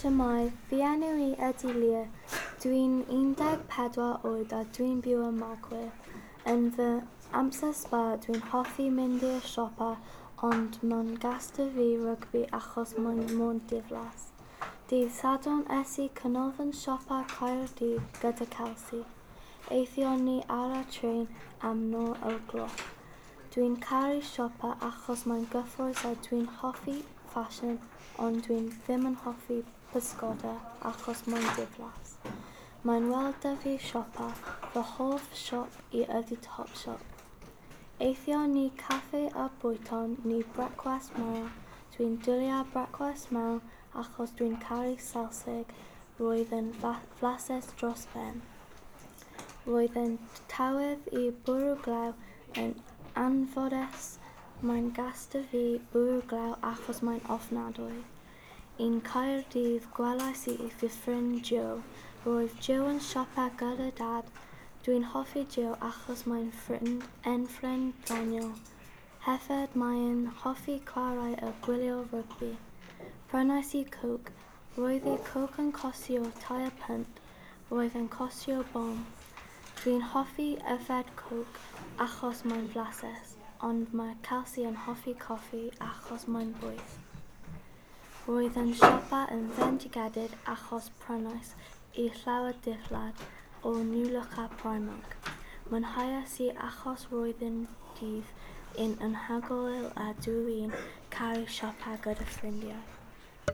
Shwmae, fy enw i ydy Leah. Dwi'n 14 oed a dwi'n byw ym Magwyr. Yn fy amser sbâr dwi'n hoffi mynd i'r siopa, ond mae'n gas 'da fi rygbi achos mae'n mor diflas. Dydd Sadwrn es i canolfan siopa Caerdydd gyda Kelsey. Aethon ni ar y trên am 9 o'r gloch. Dwi'n caru siopa achos mae'n gyffrous a dwi'n hoffi ffasiwn, ond dwi'n ddim yn hoffi pysgota achos mae'n diflas. Mae'n well 'da fi siopa, fy hoff siop i ydy Topshop. Aethon ni caffi a bwyton ni brecwast mawr. Dwi'n dwlu ar brecwast mawr achos dwi'n caru selsig. Roedd yn flasus dros ben. Roedd yn tywydd i bwrw glaw. Yn anffodus, mae'n gas 'da fi bwrw glaw achos mae'n ofnadwy. Yn Caerdydd gwelais i fy ffrind Joe. Roedd Joe yn siopa gyda Dad. Dwi'n hoffi Joe achos mae'n ffrind, yn ffrind doniol. Hefyd mae'n hoffi chwarae a gwylio rygbi. Prynais i Coke. Roedd y Coke yn costio 3 punt. Roedd yn costio bom. Dwi'n hoffi yfed Coke achos mae'n flasus, ond mae Kelsey yn hoffi coffi achos mae'n boeth. Roedd yn siopa yn fendigedig achos prynais i llawer dillad o New Look a Primark. Mwynheais i achos roedd yn dydd yn anhygoel a dw i'n caru siopa gyda ffrindiau.